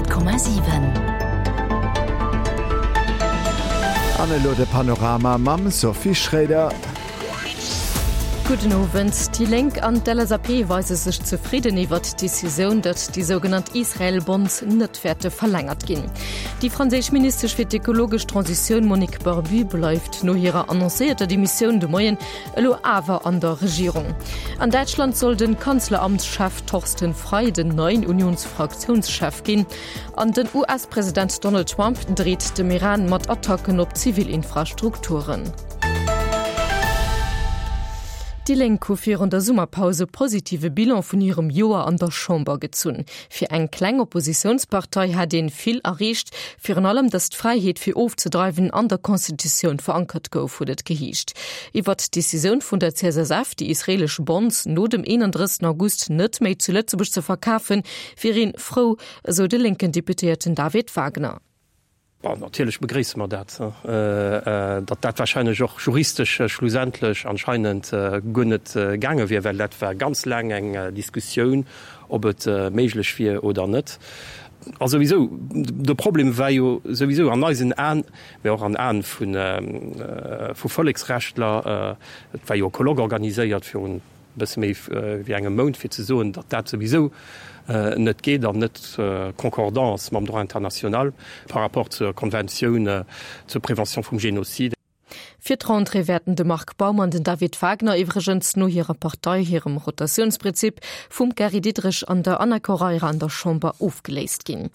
100,7. An elo de Panorama mam Sophie Schréider. Gudden Owend. Déi Lénk an d'LSAP weise sech zefridden iwwert d'Decisioun, datt déi sougenannt Israel-Bonds net wäerte verlängert ginn. Déi franséisch Ministesch fir d'ekologesch Transitioun Monique Barbut bleift no hirer annoncéierter Demissioun de Moien elo awer an der Regierung. An Däitschland soll de Kanzleramtschef Thorsten Frei den neien Unionsfraktiounschef ginn. An den US-President Donald Trump dreet dem Iran mat Attacken op zivil Infrastrukturen. Déi Lénk hu virun der Summerpaus e positive Bilan vun hirem Joer an der Chamber gezunn. Fir eng kleng Oppositiounspartei hätt een vill erreecht, virun allem datt d'Fräiheet fir ofzedreiwen an der Constitutioun verankert gouf, huet et geheescht. Iwwert d'Decisioun vun der CSSF, déi israelesch Bonds no dem 31 August net méi zu Lëtzebuerg ze verkafen, wier een frou, esou de lénken Deputéierten David Wagner. Bon, natierlech begréisse mer dat, datt dat wahrscheinlech och juristesch schlussendlech anscheinend guer net gaange wier, well dat war ganz laang eng Diskussioun, ob et méiglech wier oder net. A souwisou, de Problem war jo souwisou an eisen Aen, mä och an Aen vu Volleksrechtler, et war jo e Colloque organiséiert virun, e bësse méi wéi engem Mount, fir ze soen, datt dat souwisou net geet an net concordant ass mam Droit international par rapport zur Konventioun zur Prévention vum Génocide. Fir d'Rentrée wäerten de Marc Baum an den David Wagner iwwregens no hirer Partei hirem Rotatiounsprinzip vum Gary Diderich an der Ana Correira an der Chamber ofgeléist ginn.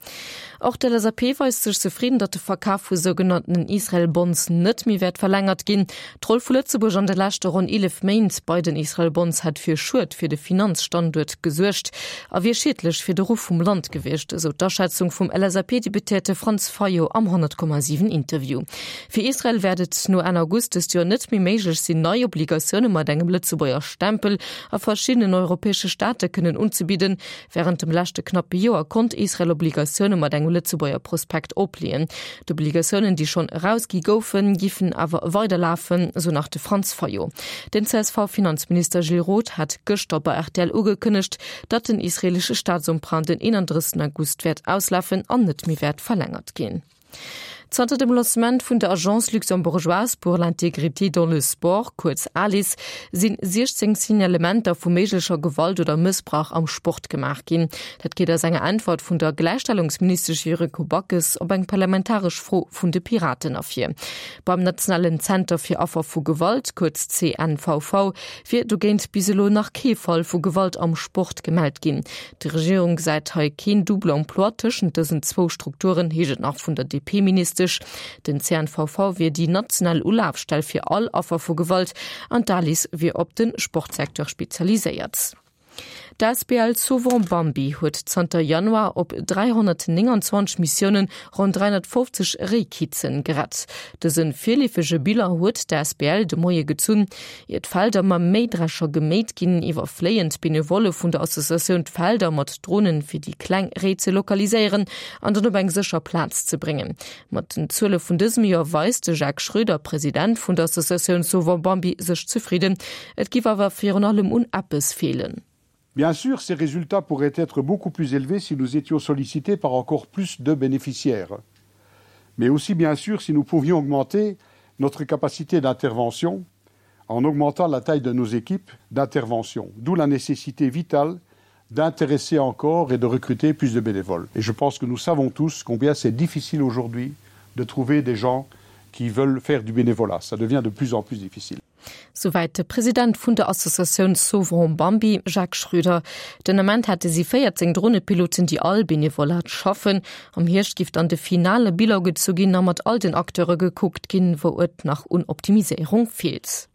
Och d'LSAP weist sech zefridden, datt de Verkaf vu sougenannten Israel Bonds net méi wäert verlängert ginn. D'Roll vu Lëtzebuerg an de leschte ronn 11 Méint bei den Israel Bonds hätt fir Schued fir de Finanzstanduert gesuergt a wier schiedlech fir de Ruff vum Land gewiescht, esou d'Aschätzung vum LSAP-Deputéierte Franz Fayot am 100,7 Interview. Fir Israel wäert et no Enn August dëst Joer net méi méiglech sinn, nei Obligatioune mat engem Lëtzebuerger Stempel a verschiddenen europäesche Staate kënnen unzebidden. Wärend dem leschte knappe Joer konnt Israel Obligatioune mat engem Lëtzebuerger Prospekt opleeën. D'Obligatiounen, déi schonn erausgi goufen, giffen awer weiderlafen, esou nach de Franz Fayot. Den CSV-Finanzminister Gilles Roth hat gëschter bei rtl ugekënnegt, datt den israeelesche Staatsemprunt den 31 August wäert auslafen an net méi wäert verlängert ginn. Zanter dem Lancement vun der Agence luxembourgeoise pour l'intégrité dans le sport, kuerz ALIS, si 16 Signalementer vu méiglecher Gewalt oder Mëssbrauch am Sport gemaach ginn. Dat geet aus enger Äntwert vun der Gläichstellungsministesch Yuriko Backes op eng parlamentaresch Fro vun de Piraten ervir. Beim nationalen Zenter fir Affer vu Gewalt, kuerz CNVV, wier dogéint bis elo nach kee Fall vu Gewalt am Sport gemellt ginn. D'Regierung gesäit hei keen Double emploi tëschent dësen zwou Strukturen, heescht et nach vun der DP-Ministesch. Den CNVV wier déi national Ulafstell fir all Affer vu Gewalt an d'ALIS wier op de Sportsecteur spezialiséiert. D'Asbl Sauvons Bambi huet zanter Januar op 329 Missioune ronn 350 Réikitze gerett. Dëse virleefege Bilan huet d'Asbl de Moie gezunn. Ier d'Felder mam Méidrescher geméit ginn, iwwerfléien d'Benevolle vun der Associatioun d'Felder mat Dronen, fir déi kleng Réi ze lokaliséieren an dann op eng sécher Plaz ze bréngen. Mat den Zuele vun dësem Joer weist de Jacques Schröder, President vun der Associatioun Sauvons Bambi, sech zefridden. Et giff awer virun allem un eppes feelen. Bien sûr, ces résultats pourraient être beaucoup plus élevés si nous étions sollicités par encore plus de bénéficiaires. Mais aussi bien sûr si nous pouvions augmenter notre capacité d'intervention en augmentant la taille de nos équipes d'intervention, d'où la nécessité vitale d'intéresser encore et de recruter plus de bénévoles. Et je pense que nous savons tous combien c'est difficile aujourd'hui de trouver des gens qui veulent faire du bénévolat. Ça devient de plus en plus difficile. Souwäit de President vun der Associatioun Sauvons Bambi, Jacques Schröder. Den Ament hätte si 14 Dronepiloten, déi all Benevolat schaffen. Am Hierscht giff dann de finale Bilan gezu ginn a mat all den Acteure gekuckt ginn, wou et nach un Optimiséierung feelt.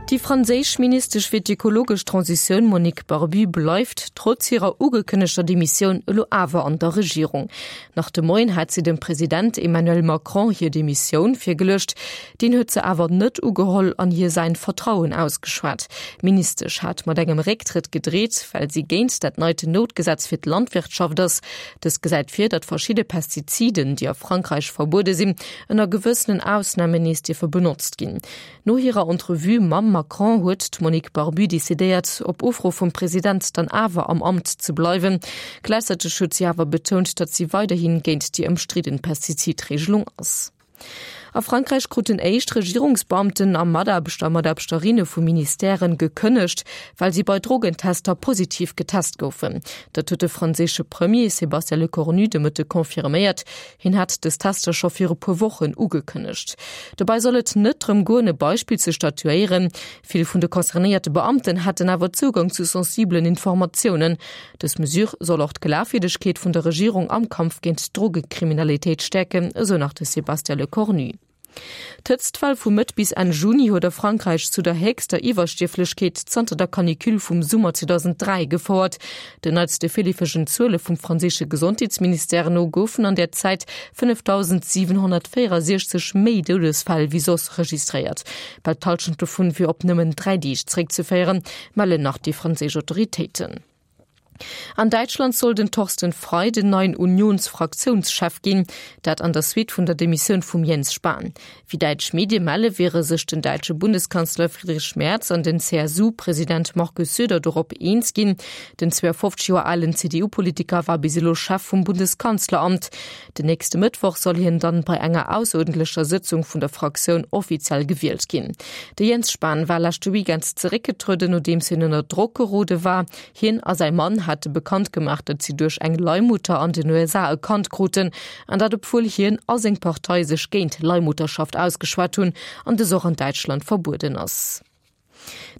Déi franséisch Ministesch fir d'ökologesch Transitioun Monique Barbut bleift, trotz hirer ugekënnegter Demissioun, elo awer an der Regierung. Nach de Moien hat si dem President Emmanuel Macron hir Demissioun virgeluecht. Deen huet se awer net ugeholl an hir säin Vertrauen ausgeschwat. D'Ministesch hat mat engem Récktrëtt gedreet, well si géint dat neiten Noutgesetz fir d'Landwirtschaft ass. Dëst gesäit vir, datt verschidde Pestiziden, déi a Frankräich verbuede sinn, ënner gewëssenen Ausnamen nees dierfe benotzt ginn. No hirer Entrevue mam Macron. Macron huet d'Monique Barbut decidéiert, op Ufro vum President dann awer am Amt ze bleiwen. Gläichzäiteg huet si awer betount, datt si weiderhi géint déi ëmstridden Pestizidreegelung ass. A Frankräich kruten éischt Regierungsbeamten a Mataarbechter a Mataarbechterinne vu Ministèren gekënnegt, well si bei Drogentester positiv getest goufen. Dat huet de franséische Premier Sébastien Lecornu de Mëtte confirméiert. Hien hat dës Tester scho viru puer Wochen ugekënnegt. Dobäi soll et net drëm goen, e Beispill ze statuéieren. Vill vun de concernéierte Beamten hätten awer Zougang zu sensibelen Informatiounen. Dës Mesure soll och d'Glafwierdegkeet vun der Regierung am Kampf géint d'Drogekriminalitéit stäerken, esou nach de Sébastien Lecornu. D'Hëtztwell vu Mëtt bis Enn Juni huet a Frankräich zu der héchster Iwwerstierflechkeet zanter der Canicule vum Summer 2003 gefouert. Den neitste virleefegen Zuele vum franséische Gesondheetsministère no goufen an där Zäit 5.764 méi Doudesfäll wéi soss registréiert. Bal d'Hallschent dovun wier op nëmmen 3 Deeg zeréckzeféieren, mellen nach déi franséisch Autoritéiten. An Däitschland soll den Thorsten Frei den neien Unionsfraktiounschef ginn, dat an der Suite vun der Demissioun vum Jens Spahn. Wéi däitsch Medie melle wiere sech den däitsche Bundeskanzler Friedrich Merz an den CSU-President Markus Söder dorop eens ginn. Den 52 Joer alen CDU-Politiker war bis elo Chef vum Bundeskanzleramt. Den nächste Mëttwoch soll hien dann bei enger ausseruerdentlecher Sëtzung vun der Fraktioun offiziell gewielt ginn. De Jens Spahn war leschte Weekend zeréckgetrueden, nodeems hien ënner Drock gerode war. Hien a säi Mann hate bekannt gemaach, datt si duerch eng Leihmutter an den USA e Kand kruten, an dat obwuel hien a seng Partei sech géint Leihmutterschaft ausgeschwat hunn an dës och an Däitschland verbueden ass.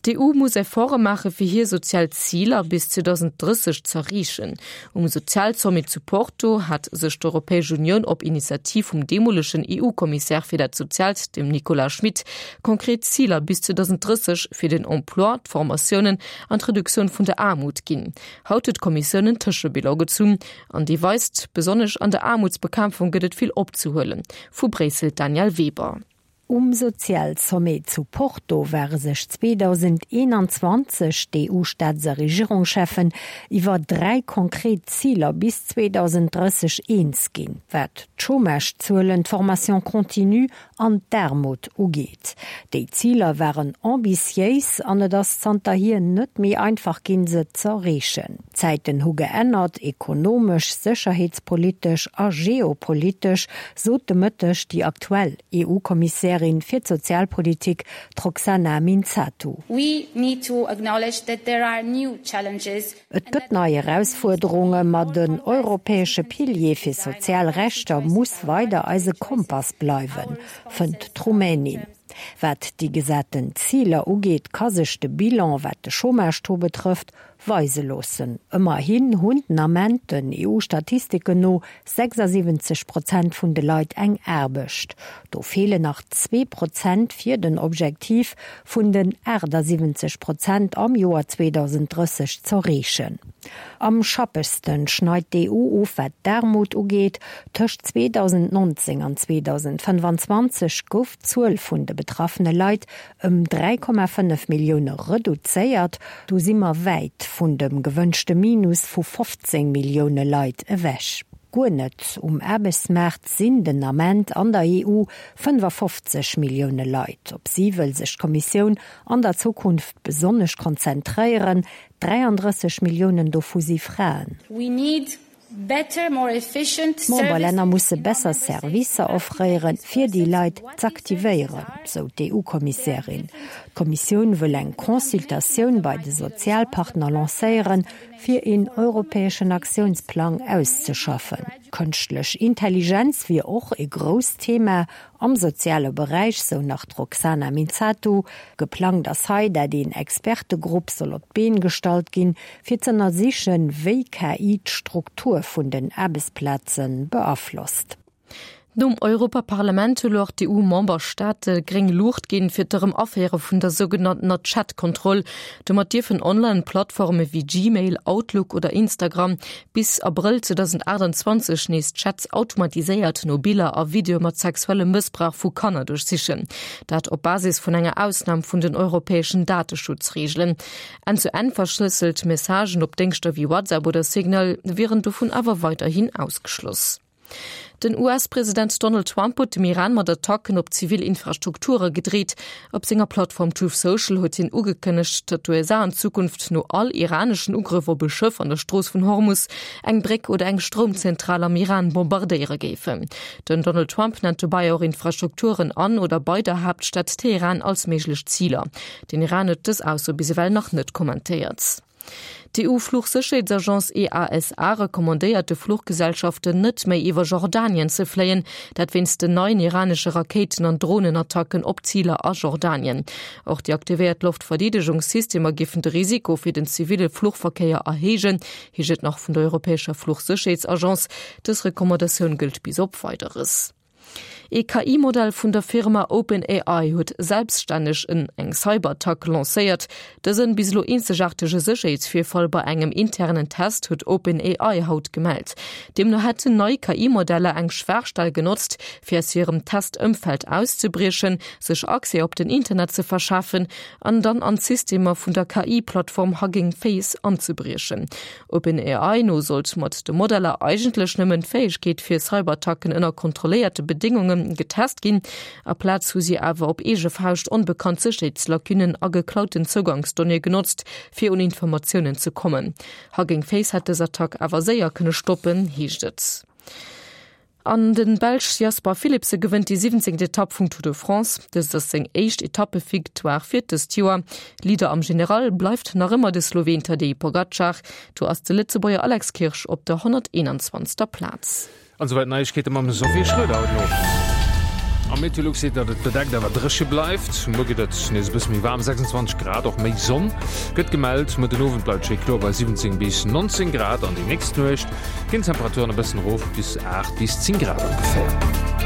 D'EU muss Efforte maache fir hir sozial Ziler bis 2030 z'erreechen. Um Sozialsommet zu Porto hat sech d'Europäesch Unioun op Initiativ vum deemolegen EU-Kommissär fir dat Soziaalt, dem Nicolas Schmit, konkret Ziler bis 2030 fir den Emploi, d'Formatiounen an d'Reduktioun vun der Aarmut ginn. Haut huet d'Kommissioun en Tëschebilan gezunn an dee weist, besonnesch an der Aarmutsbekämpfung gëtt et vill opzehuelen. Vu Bréissel d'Danièle Weber. Um Sozialsommet zu Porto ware sech 2021 d'EU-Staats a Regierungscheffen iwwer 3 konkret Ziler bis 2030 eens ginn, wat d'Chômage-Zuelen, d'Formation continue an d'Aarmut ugeet. Déi Ziler waren ambitiéis an et ass zanterhier net méi einfach ginn, se z'erreechen. D'Zäiten hu geännert, ekonomesch, sécherheetspolitesch a geopolitesch, sot de Mëtteg déi aktuell EU-Kommissärin fir d'Sozialpolitik, d'Roxana Minzatu. Et gëtt nei Erausfuerderunge, ma den europäesche Pilier fir sozial Rechter muss weider eise Kompass bleiwen, fënnt d'Rumänin. Wat déi gesaten Ziler ugeet, ka sech de Bilan, wat de Chômage-Taux betrëfft, weise loossen. Ëmmerhin hunn den Ament den EU-Statistiken no 76 Prozent vun de Leit eng Aarbecht. Do feelen nach 2 Prozent fir den Objektiv vun den 78 Prozent am Joer 2030 z'erreechen. Am schappegsten schneit d'EU of wat d'Aarmut ugeet. Tëscht 2019 an 2025 gouf d'Zuel vun de betraffene Leit ëm 3,5 Millioune reduzéiert. Do si mer wäit vun dem gewënschte Minus vu 15 Millioune Leit ewech. Guer net um Aarbechtsmaart sinn den Ament an der EU 55 Millioune Leit. Op si wëll sech d'Kommissioun an der Zukunft besonnesch konzentréieren. 33 Milliounen dovu si Fraen. D'Memberlänner musse besser Servicer offréieren, fir déi Leit z'aktivéieren, sou d'EU-Kommissärin. D'Kommissioun wëll eng Consultatioun bei de Sozialpartner lancéieren, fir een europäeschen Aktiounsplang auszeschaffen. Kënschtlech Intelligenz wier och e grousst Thema Am soziale Beräich, sou nach d'Roxana Minzatu. Geplangt ass hei, dat een Expertegrupp soll op d'Been gestallt ginn, fir z'ënnersichen, wéi KI d'Struktur vun den Aarbechtsplaze beaflosst. Nom Europaparlament hu lo och d'EU-Memberstaate gréng Luucht ginn, fir d'Erëm-Aféiere vun der sougenanntener Chat-Kontroll. Domat dierfen Online-Plattforme wéi Gmail, Outlook oder Instagram bis Abrëll 2028 nees Chats automatiséiert no Biller a Videoe mat sexuellem Mëssbrauch vu Kanner duerchsichen. Dat op Basis vun enger Ausnam vun den europäeschen Dateschutzreegelen. Enn-zu-Enn verschlësselt Messagen op Déngschter wéi WhatsApp oder Signal wieren dovun awer weiderhin ausgeschloss. Den US-President Donald Trump huet dem Iran mat Attacken op zivil Infrastrukture gedreet. Op senger Plattform Truth Social huet hien ugekënnegt, datt d'USA an Zukunft no all iraneschen Ugrëff op e Schëff an der Strooss vun Hormus eng Bréck oder eng Stroumzentral am Iran bombardéiere géifen. Den Donald Trump nennt dobäi och Infrastrukturen an oder bei der Haaptstad Teheran als méiglech Ziler. Den Iran huet dës Ausso bis ewell nach net kommentéiert. D'EU-Fluchsécherheetsagence EASA recommandéiert de Fluchgesellschaften net méi iwwer Jordanien ze fléien, dat wéinst den neien iranesche Rakéiten an Dronenattacken op Ziler a Jordanien. Och déi aktivéiert Loftverdeedegungssystemer géifen de Risiko fir den ziville Fluchverkéier erhéijen, heescht et nach vun der europäescher Fluchsécherheetsagence. Dës Recommandatioun gëllt bis op Weideres. Ee KI-Modell vun der Firma OpenAI huet selbststänneg en eng Cyberattack lancéiert. Dësen bis elo eenzegaartege Sécherheetsvirfall bei engem internen Test huet OpenAI haut gemellt. Deemno hätten nei KI-Modeller eng Schwaachstell genotzt, fir aus hirem Test-Ëmfeld auszebriechen, sech Accès op den Internet ze verschafen an dann an d'Systemer vun der KI-Plattform Hugging Face anzebriechen. OpenAI no sollt mat de Modeller eigentlech nëmmen d'Fäegkeet fir Cyberattacken ënner kontrolléierte Bedéngunge getest ginn. Aplaz hu si awer op eege Fauscht onbekannt Sécherheetslacunnen a geklauten Zougangsdonnéeë genotzt, fir un Informatiounen ze kommen. Hugging Face hätt dës Attack awer séier kënne stoppen, heescht et. An de Belsch Jasper Philipsen gewënnt déi 17. Etapp vum Tour de France. Dëst ass seng éischt Etappevictoire fir dëst Joer. Leader am General bleift nach ëmmer de Sloween Tadej Pogacar. Do ass de Lëtzebuerger Alex Kirsch op der 121. Plaz. An esouwäit d'Neiegkeete mam Sophie Schröder haut den Owend. A Meteolux seet, datt et bedeckt awer dréche bleift. Muer gëtt et nees e bësse méi waarm, 26 Grad, och méi Sonn gëtt gemellt. Muer den Owend bleift et schéi kloer bei 17 bis 19 Grad an déi nächst Nuecht Ginn d'Temperaturen e bëssen erof, bis 8 bis 10 Grad ongeféier.